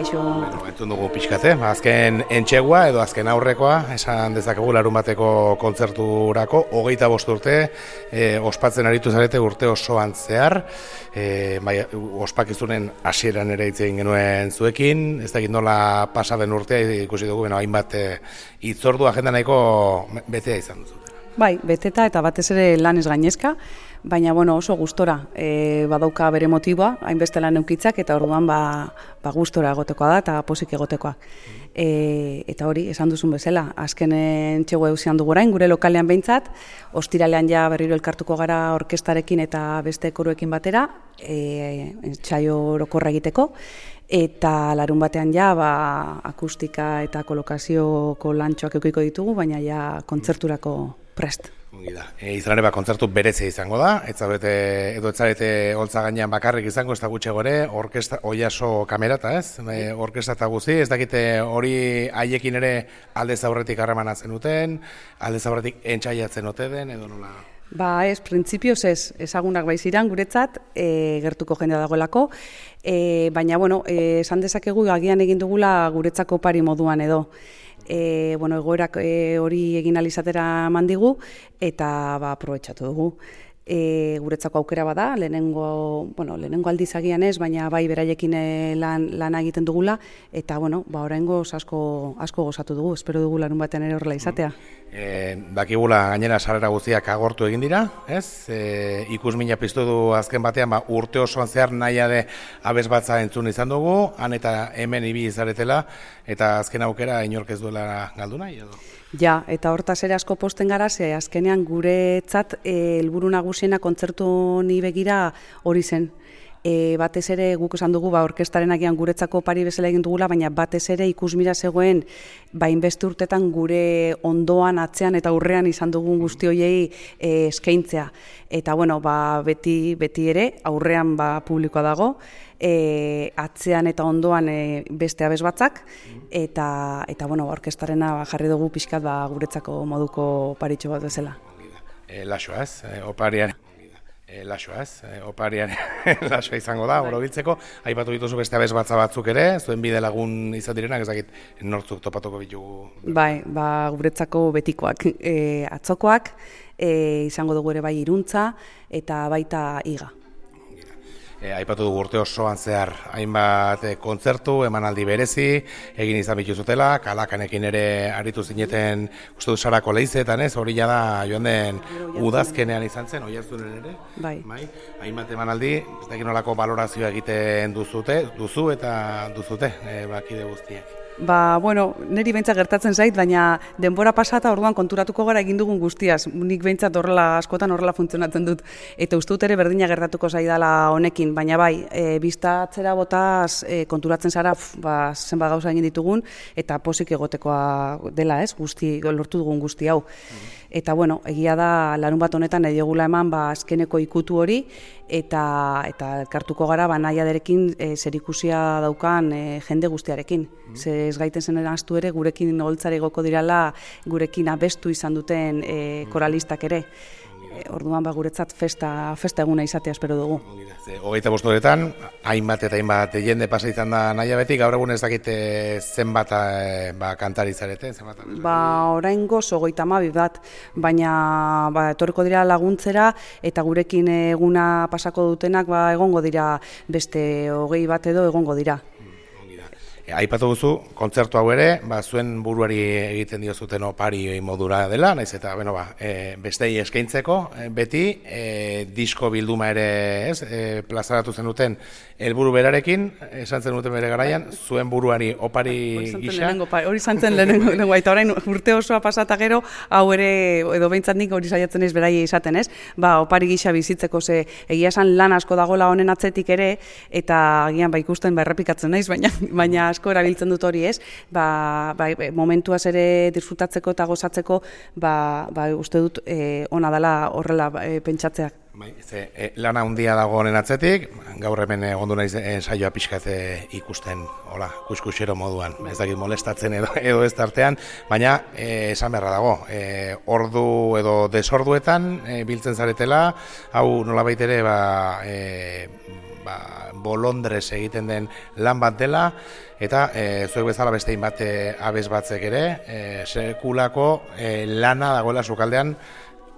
kaixo. Entzun dugu pixkate, azken entxegua edo azken aurrekoa, esan dezakegu larun bateko kontzerturako, 25 urte, ospatzen aritu zarete urte osoan zehar, ospakizunen hasieran ere hitz egin genuen zuekin, ez dakit nola pasa den urtea ikusi dugu, hainbat hitzordu agenda nahiko betea izan duzu. Bai, beteta eta batez ere lanez gainezka, baina oso gustora badauka bere motiboa, hainbeste lan eukitzak, eta orduan gustora egotekoa da eta pozik egotekoa. Eta hori, esan duzun bezala, azkenen txego eusian dugu orain, gure lokalean behintzat, ostiralean ja berriro elkartuko gara orkestarekin eta beste koruekin batera, entsaio orokorra egiteko, eta larun batean ja akustika eta kolokazioko lantxoak eukiko ditugu, baina ja kontzerturako prest. Izan ere kontzertu berezia izango da, ez zarete holtza gainean bakarrik izango, ez da gutxe gore, orkesta, oiaso kamerata, ez? Orkesta eta guzi, ez dakite hori haiekin ere aldez aurretik harremana zenuten, aldez aurretik entxaiatzen ote den, edo nola? Ez, printzipioz ez, ezagunak baiziran guretzat, gertuko jendea dagoelako, baina, esan dezakegu agian egin dugula guretzako pari moduan edo. Egoerak hori egin alizatera mandigu eta aprobetxatu dugu. Guretzako aukera bada, lehenengo aldiz agian ez, baina bai beraiekin lan egiten dugula, eta oraingoz asko gozatu dugu, espero dugu larun batean ere horrela izatea. Dakigula gainera sarrera guztiak agortu egin dira, ez? Ikusmina piztu du azken batean, urte osoan zehar nahiade abesbatza entzun izan dugu, han eta hemen ibili zaretela, eta azken aukera inork ez duela galdu nahi edo? Ja, eta hortaz ere asko posten gara, ze azkenean guretzat helburu nagusiena kontzertu honi begira hori zen. Batez ere guk esan dugu orkestaren agian guretzako pari bezala egin dugula, baina batez ere ikusmira zegoen hainbeste urtetan gure ondoan, atzean eta aurrean izan dugun guzti horiei eskaintzea. Eta beti ere aurrean publikoa dago, atzean eta ondoan beste abesbatzak, eta orkestarena jarri dugu pixkat guretzako moduko paritxo bat bezala. Laxoa ez, oparian. Oparian lasoa izango da, orobiltzeko. Aipatu dituzu beste abesbatza batzuk ere, zuen bide lagun izan direnak, ezakit nortzuk topatuko bitugu. Bai, guretzako betikoak, atzokoak, izango dugu ere bai Iruntza, eta baita Iga. Aipatu dugu urte osoan zehar hainbat kontzertu, emanaldi berezi, egin izan bituzutela, Kalakanekin ere aritu zineten uste du Sarako Leizetan, ez? Hori da joan den udazkenean izan zen, Oiartzunen ere. Bai. Hainbat emanaldi, ez dakit nolako balorazioa egiten duzu bakide guztiek. Niri behintzat gertatzen zait, baina denbora pasata orduan konturatuko gara egin dugun guztiaz. Nik behintzat askotan horrela funtzionatzen dut. Eta uste dut ere berdina gertatuko zaidala honekin, baina bai, biztatzera botaz konturatzen zara zenbat gauza egin ditugun, eta pozik egotekoa dela, ez, lortu dugun guzti hau. Eta egia da larun bat honetan ediogula eman azkeneko ikutu hori, eta elkartuko gara nahiaderekin zerikusia daukan jende guztiarekin. Ze ez gaiten zen eraztu ere gurekin holtzare egoko dirala, gurekin abestu izan duten koralistak ere. Orduan guretzat festa eguna izatea espero dugu. 25 urtetan, hainbat eta hainbat jende pasa izan da nahia beti, gaur egun ez dakite zenbat kantari zarete? Oraingoz 32 bat, baina etorriko dira laguntzera, eta gurekin eguna pasako dutenak egongo dira beste 20 bat edo egongo dira. Aipatu duzu, kontzertu hau ere, zuen buruari egiten diozuten opari modura dela, naiz eta bestei eskaintzeko, beti disko bilduma ere plazaratu zenuten helburu berarekin, esan zenuten bere garaian, zuen buruari opari gisa. Hori zantzen lehenengo, eta orain urte osoa pasata gero, hau ere, edo behintzat nik hori saiatzen ez beraia izaten ez, opari gisa bizitzeko, ze egia esan lan asko dagoela honen atzetik ere, eta agian ikusten errepikatzen naiz, baina asko erabiltzen dut hori ez, momentuaz ere disfrutatzeko eta gozatzeko, uste dut ona dela horrela pentsatzeak. Lana handia dago honen atzetik, gaur hemen egondu naiz saioa pixkat ikusten, kuskusero moduan, ez dakit molestatzen edo ez tartean, baina esan beharra dago, ordu edo desorduetan biltzen zaretela, hau nolabait ere bolondrez egiten den lan bat dela, eta zuek bezala beste hainbat abes batzek ere, sekulako lana dagoela sukaldean,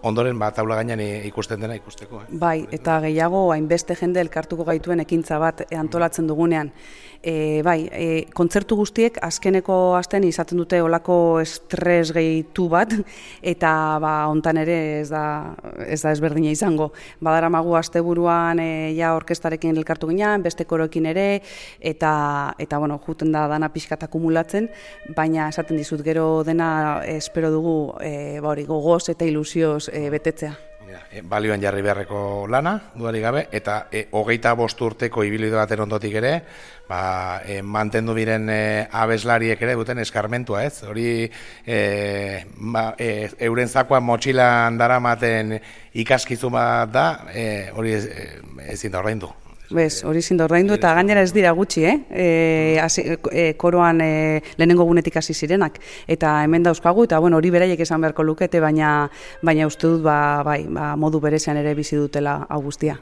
ondoren taula gainean ikusten dena ikusteko. Bai, eta gehiago hainbeste jende elkartuko gaituen ekintza bat antolatzen dugunean. Kontzertu guztiek azkeneko astean izaten dute olako estres gehitu bat, eta hontan ere ez da ezberdina izango. Badaramagu asteburuan ja orkestarekin elkartu ginean, beste koroekin ere, eta juten da dana pixkat akumulatzen, baina esaten dizut gero dena espero dugu gogoz eta ilusioz betetzea. Balioan jarri beharreko lana, dudarik gabe, eta 25 urteko ibilbide baten ondotik ere, mantendu diren abeslariek ere duten eskarmentua, ez? Hori euren zakoan motxilan daramaten ikaskizun bat da, hori ezin da ordaindu. Hori ezin da ordaindu, eta gainera ez dira gutxi, koroan lehenengo gunetik hasi zirenak, eta hemen dauzkagu, eta hori beraiek esan beharko lukete, baina uste dut modu berezian ere bizi dutela hau guztia.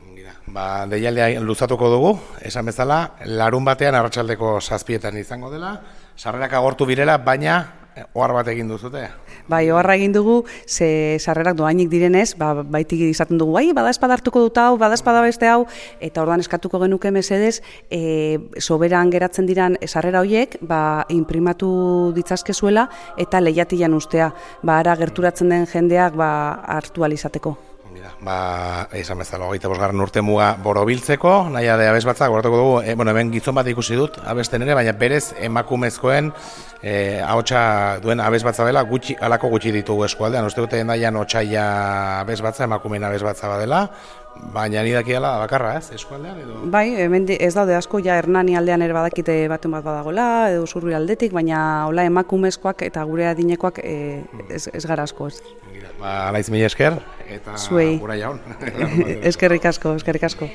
Deialdea luzatuko dugu, esan bezala, larun batean arratsaldeko 7etan izango dela, sarrerak agortu birela, baina ohar bat egin duzute. Oharra egin dugu, ze sarrerak doainik direnez, baitik izaten dugu, bada espada hartuko dut hau, bada espada beste hau, eta orduan eskatuko genuke mesedez, soberan geratzen diran sarrera horiek, inprimatu ditzazkezuela, eta lehiatilan ustea, ara gerturatzen den jendeak hartu alizateko. Esan bezala, 25. urte muga borobiltzeko, nahi ade abes batzak, goratuko dugu, hemen gizon bat ikusi dut, abesten ere, baina berez emakumezkoen ahotsa duen abes batza dela, alako gutxi ditugu eskualdean, uste dute endaian otsaia abes batza, emakumeen abes batza badela, baina ni dakiala bakarra, ez, eskualdean edo? Hemen ez daude asko, Hernani aldean ere badakite batun bat badagola, edo Zurbi aldetik, baina hola emakumezkoak eta gure adinekoak ez gara asko, ez. Naiz mila esker, eta gura jaun. Eskerrik asko.